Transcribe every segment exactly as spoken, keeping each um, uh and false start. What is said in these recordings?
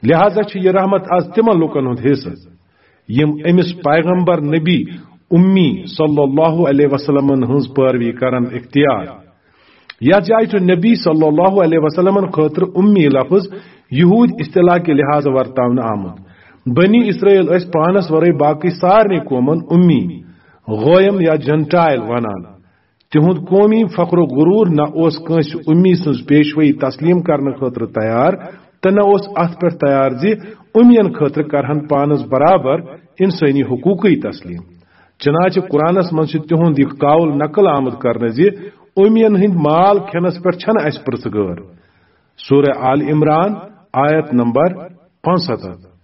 لہذا چھِ یہِ رحمت از تِمن لوٗکن ہُنٛد حصہٕ، یِم أمِس پیغمبر نبی امی صلی اللہ علیہ وسلمن ہٕنٛز پٲروی کرن اختیار۔ یتھ جایہِ چھُ نبی صلی اللہ علیہ وسلمن خٲطرٕ امی لفظ یہود اصطلاح کہِ لحاظہٕ ورتاونہٕ آمُت۔ بنی اسرائیل ٲسۍ پانس ورٲے باقٕے سارنٕے قومن امی، غویم یا جنٹائل ونان۔ تِہُنٛد قومی فخر و غرور نہ اوس کٲنٛسہِ امی سٕنٛز پیشوٲیی تسلیم کرنہٕ خٲطرٕ تیار، تہٕ نہ اوس اتھ پٮ۪ٹھ تیار زِ امین خٲطرٕ کرہن پانس برابر انسٲنی حقوقٕے تسلیم۔ چنانچہ قرآنس منٛز چھُ تِہُنٛد یہِ قول نقل آمُت کرنہٕ زِ امین ہٕنٛدۍ مال کھٮ۪نس پٮ۪ٹھ چھنہٕ اسہِ پرژھگٲر۔ سورہ آل عمران، آیت نمبر پانٛژستتھ۔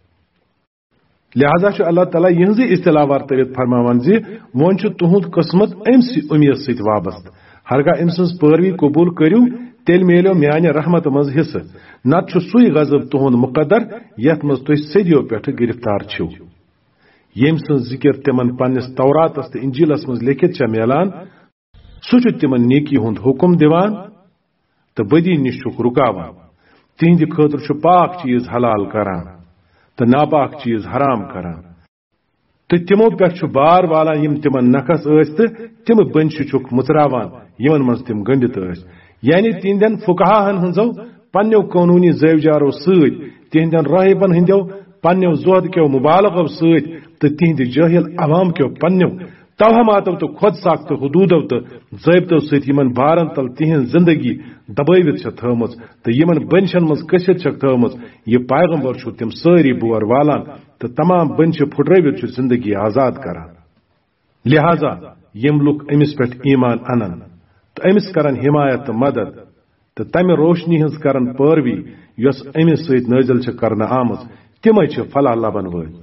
لہذا چھُ اللہ تعالیٰ یِہنٛزٕے اصطلاح ورتٲوِتھ فرماوان زِ وۄنۍ چھُ تُہُنٛد قسمت أمۍ سٕے اُمید سۭتۍ وابستہٕ۔ ہرگاہ أمۍ سٕنٛز پٲروی قبول کٔرِو، تیٚلہِ میلیو میانہِ رحمتہٕ منٛز حصہٕ، نتہٕ چھُ سُے غضب تُہُنٛد مقدر، یتھ منٛز تُہۍ صدیو پٮ۪ٹھٕ گرفتار چھِو۔ ییٚمۍ سٕنٛز ذکر تِمن پننِس توراتس تہٕ انجیلس منٛز لیکھِتھ چھےٚ میلان، سُہ چھُ تِمن نیکی ہُنٛد حکم دِوان تہٕ بدی نِش چھُکھ رُکاوان۔ تِہنٛدِ خٲطرٕ چھُ پاک چیز حلال کران تہٕ ناپاک چیز حرام کران۔ تہٕ تِمو پٮ۪ٹھ چھُ بار والان، یِم تِمن نکھس ٲسۍ تہٕ تِم بنچہِ چھُکھ مُژراوان، یِمن منٛز تِم گٔنڈِتھ ٲسۍ۔ یعنی تِہنٛدٮ۪ن فقہاہن ہٕنٛزو پننیو قونوٗنی زٲوجارو سۭتۍ، تِہنٛدٮ۪ن راہبن ہٕنٛدٮ۪و پننیو زہد کیو مبالغو سۭتۍ تہٕ تِہنٛدِ جٲہِل عوام کیو پننیو توہماتو تہٕ خود ساختہٕ حدوٗدو تہٕ ضٲبطو سۭتۍ یِمن بارن تل تِہنٛز زندگی دبٲوِتھ چھےٚ تھٲومٕژ تہٕ یِمن بنچن منٛز کٔسِتھ چھکھ تھٲومٕژ، یہِ پیغمبر چھُ تِم سٲری بور والان تہٕ تمام بنچہِ پھُٹرٲوِتھ چھُ زندگی آزاد کران۔ لہذا یِم لُکھ أمِس پٮ۪ٹھ ایمان انن تہٕ أمِس کرن حمایت تہٕ مدد تہٕ تمہِ روشنی ہٕنٛز کرن پٲروی یۄس أمِس سۭتۍ نٲزِل چھِ کرنہٕ آمٕژ، تِمے چھِ فلاح لبن وٲلۍ۔